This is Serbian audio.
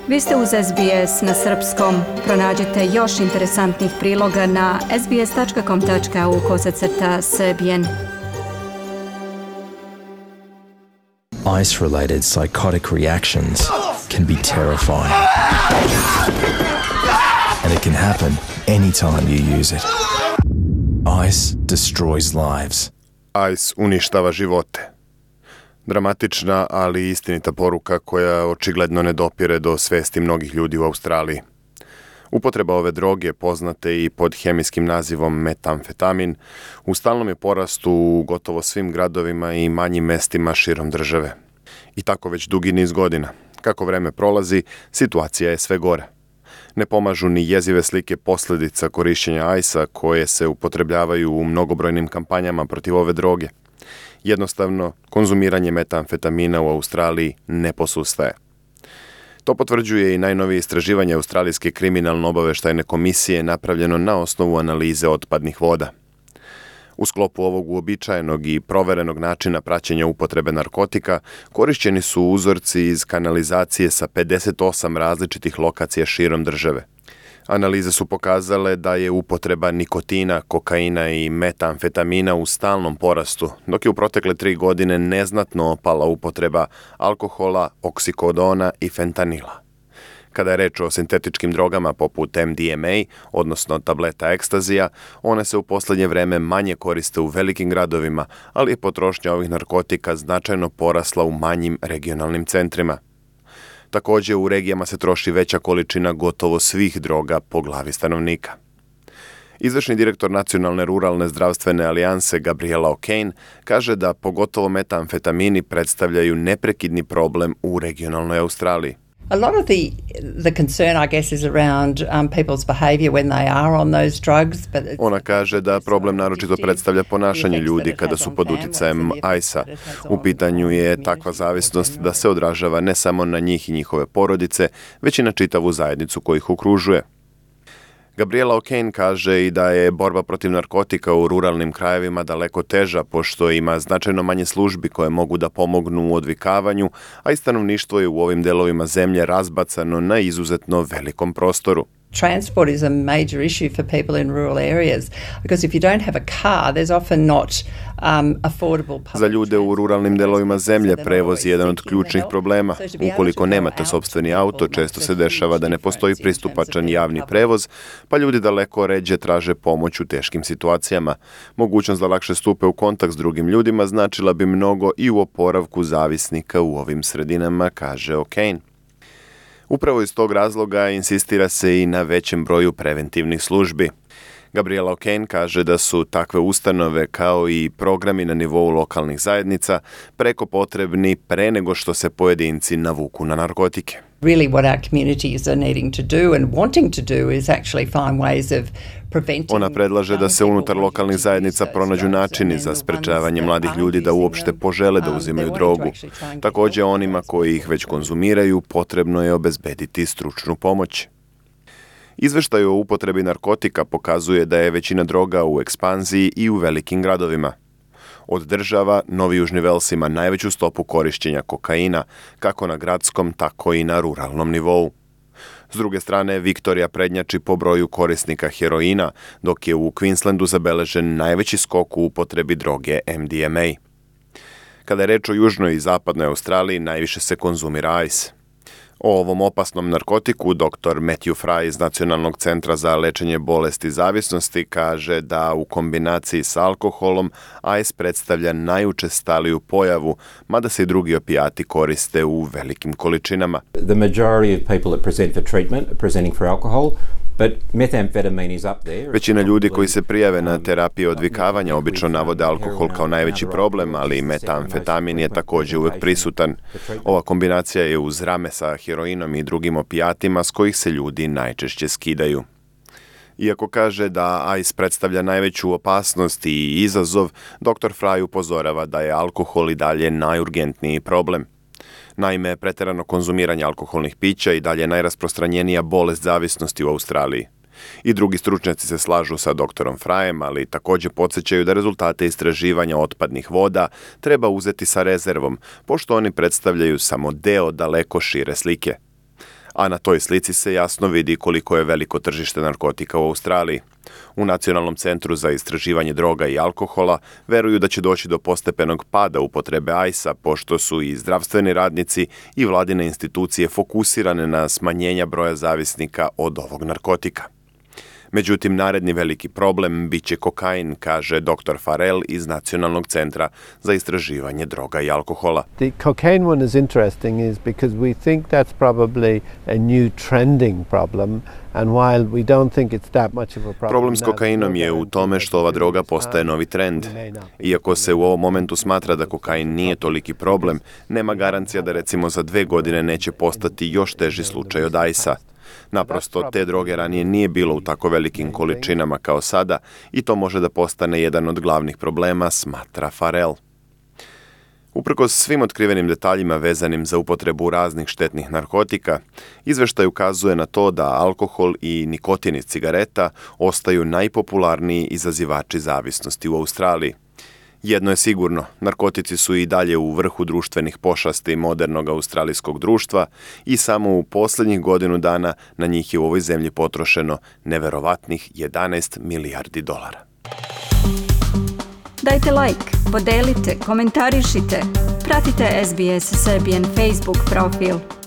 Vi ste uz SBS na srpskom. Pronađite još interesantnih priloga na sbs.com.au/Serbian. Ice-related psychotic reactions can be terrifying. And it can happen anytime you use it. Ice destroys lives. Ice uništava živote. Dramatična, ali istinita poruka koja očigledno ne dopire do svesti mnogih ljudi u Australiji. Upotreba ove droge, poznate i pod hemijskim nazivom metamfetamin, u stalnom je porastu u gotovo svim gradovima i manjim mestima širom države. I tako već dugi niz godina. Kako vreme prolazi, situacija je sve gore. Ne pomažu ni jezive slike posljedica korišćenja ajsa koje se upotrebljavaju u mnogobrojnim kampanjama protiv ove droge. Jednostavno, konzumiranje metamfetamina u Australiji ne posustaje. To potvrđuje i najnovije istraživanje Australijske kriminalno-obaveštajne komisije napravljeno na osnovu analize otpadnih voda. U sklopu ovog uobičajenog i proverenog načina praćenja upotrebe narkotika korišćeni su uzorci iz kanalizacije sa 58 različitih lokacija širom države. Analize su pokazale da je upotreba nikotina, kokaina i metamfetamina u stalnom porastu, dok je u protekle 3 godine neznatno opala upotreba alkohola, oksikodona i fentanila. Kada je reč o sintetičkim drogama poput MDMA, odnosno tableta ekstazija, one se u posljednje vreme manje koriste u velikim gradovima, ali je potrošnja ovih narkotika značajno porasla u manjim regionalnim centrima. Također, u regijama se troši veća količina gotovo svih droga po glavi stanovnika. Izvršni direktor Nacionalne ruralne zdravstvene alijanse Gabriela O'Kane kaže da pogotovo metamfetamini predstavljaju neprekidni problem u regionalnoj Australiji. A lot of the concern, I guess, is around people's behaviour when they are on those drugs. Ona kaže da problem naročito predstavlja ponašanje ljudi kada su pod uticajem ajsa. U pitanju je takva zavisnost da se odražava ne samo na njih i njihove porodice, već i na čitavu zajednicu koja ih okružuje. Gabriela O'Kane kaže i da je borba protiv narkotika u ruralnim krajevima daleko teža, pošto ima značajno manje službi koje mogu da pomognu u odvikavanju, a i stanovništvo je u ovim delovima zemlje razbacano na izuzetno velikom prostoru. Transport is a major issue for people in rural areas because if you don't have a car, there's often not affordable public. Za ljude u ruralnim delovima zemlje prevoz je jedan od ključnih problema. Ukoliko nemate sopstveni auto, često se dešava da ne postoji pristupačan javni prevoz, pa ljudi daleko ređe traže pomoć u teškim situacijama. Mogućnost da lakše stupe u kontakt s drugim ljudima značila bi mnogo i u oporavku zavisnika u ovim sredinama, kaže O'Kane. Upravo iz tog razloga insistira se i na većem broju preventivnih službi. Gabriela O'Kane kaže da su takve ustanove kao i programi na nivou lokalnih zajednica preko potrebni pre nego što se pojedinci navuku na narkotike. Really what our communities are needing to do and wanting to do is actually find ways of preventing. Ona predlaže da se unutar lokalnih zajednica pronađu načini za sprečavanje mladih ljudi da uopšte požele da uzimaju drogu. Također onima koji ih već konzumiraju potrebno je obezbediti stručnu pomoć. Izveštaj o upotrebi narkotika pokazuje da je većina droga u ekspanziji i u velikim gradovima. Od država, Novi Južni Vels ima najveću stopu korišćenja kokaina, kako na gradskom, tako i na ruralnom nivou. S druge strane, Viktorija prednjači po broju korisnika heroina, dok je u Queenslandu zabeležen najveći skok u upotrebi droge MDMA. Kada je reč o južnoj i zapadnoj Australiji, najviše se konzumira ice. O ovom opasnom narkotiku dr. Matthew Fry iz Nacionalnog centra za lečenje bolesti zavisnosti kaže da u kombinaciji s alkoholom ice predstavlja najučestaliju pojavu, mada se i drugi opijati koriste u velikim količinama. The majority of people that present for treatment are presenting for alcohol. But methamphetamine is up there. Većina ljudi koji se prijave na terapiju odvikavanja obično navode alkohol kao najveći problem, ali metamfetamin je također uvijek prisutan. Ova kombinacija je uz rame sa heroinom i drugim opijatima s kojih se ljudi najčešće skidaju. Iako kaže da ice predstavlja najveću opasnost i izazov, dr. Fry upozorava da je alkohol i dalje najurgentniji problem. Naime, pretjerano konzumiranje alkoholnih pića i dalje najrasprostranjenija bolest zavisnosti u Australiji. I drugi stručnjaci se slažu sa doktorom Frajem, ali također podsjećaju da rezultate istraživanja otpadnih voda treba uzeti sa rezervom, pošto oni predstavljaju samo deo daleko šire slike. a na toj slici se jasno vidi koliko je veliko tržište narkotika u Australiji. U Nacionalnom centru za istraživanje droga i alkohola veruju da će doći do postepenog pada upotrebe ajsa, pošto su i zdravstveni radnici i vladine institucije fokusirane na smanjenja broja zavisnika od ovog narkotika. Međutim, naredni veliki problem biće kokain, kaže dr. Farrell iz Nacionalnog centra za istraživanje droga i alkohola. The cocaine one is interesting is because we think that's probably a new trending problem, and while we don't think it's that much of a problem. Problem s kokainom je u tome što ova droga postaje novi trend. Iako se u ovom momentu smatra da kokain nije toliki problem, nema garancija da recimo za 2 godine neće postati još teži slučaj od ajsa. Naprosto, te droge ranije nije bilo u tako velikim količinama kao sada i to može da postane jedan od glavnih problema, smatra Farrell. Uprkos svim otkrivenim detaljima vezanim za upotrebu raznih štetnih narkotika, izveštaj ukazuje na to da alkohol i nikotin iz cigareta ostaju najpopularniji izazivači zavisnosti u Australiji. Jedno je sigurno, narkotici su i dalje u vrhu društvenih pošasti modernog australijskog društva i samo u posljednjih godinu dana na njih je u ovoj zemlji potrošeno neverovatnih 11 milijardi dolara. Dajte like, podelite, komentarišite, pratite SBS Serbian Facebook profil.